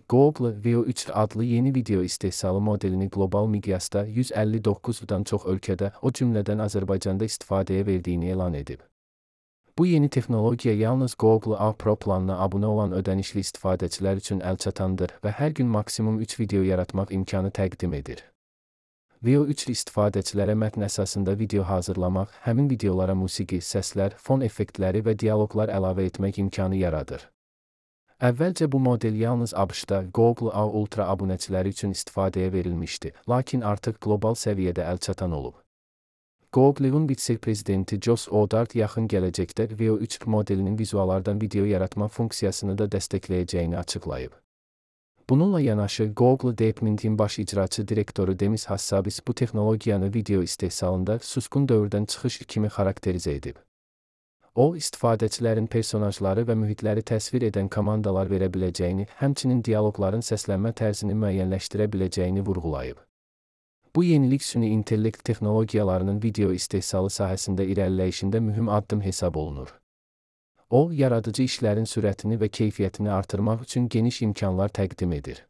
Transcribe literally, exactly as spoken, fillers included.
Google Veo üç adlı yeni video istehsalı modelini qlobal miqyasda yüz əlli doqquzdan çox ölkədə, o cümlədən Azərbaycanda istifadəyə verdiyini elan edib. Bu yeni texnologiya yalnız Google A Pro planına abunə olan ödənişli istifadəçilər üçün əlçatandır və hər gün maksimum üç video yaratmaq imkanı təqdim edir. Veo üç istifadəçilərə mətn əsasında video hazırlamaq, həmin videolara musiqi, səslər, fon effektləri və dialoqlar əlavə etmək imkanı yaradır. Əvvəlcə bu model yalnız ABŞ-da Google A Ultra abunəçiləri üçün istifadəyə verilmişdi, lakin artıq qlobal səviyyədə əlçatan olub. Google'un vitse-prezidenti Josh Odart yaxın gələcəkdə Veo üç modelinin vizuallardan video yaratma funksiyasını da dəstəkləyəcəyini açıqlayıb. Bununla yanaşı, Google Deepmind'in baş icraçı direktoru Demis Hassabis bu texnologiyanı video istehsalında suskun dövrdən çıxış kimi xarakterizə edib. O, istifadəçilərin personajları və mühitləri təsvir edən komandalar verə biləcəyini, həmçinin dialoqların səslənmə tərzini müəyyənləşdirə biləcəyini vurğulayıb. Bu yenilik süni intellekt texnologiyalarının video istehsalı sahəsində irəliləyişində mühüm addım hesab olunur. O, yaradıcı işlərin sürətini və keyfiyyətini artırmaq üçün geniş imkanlar təqdim edir.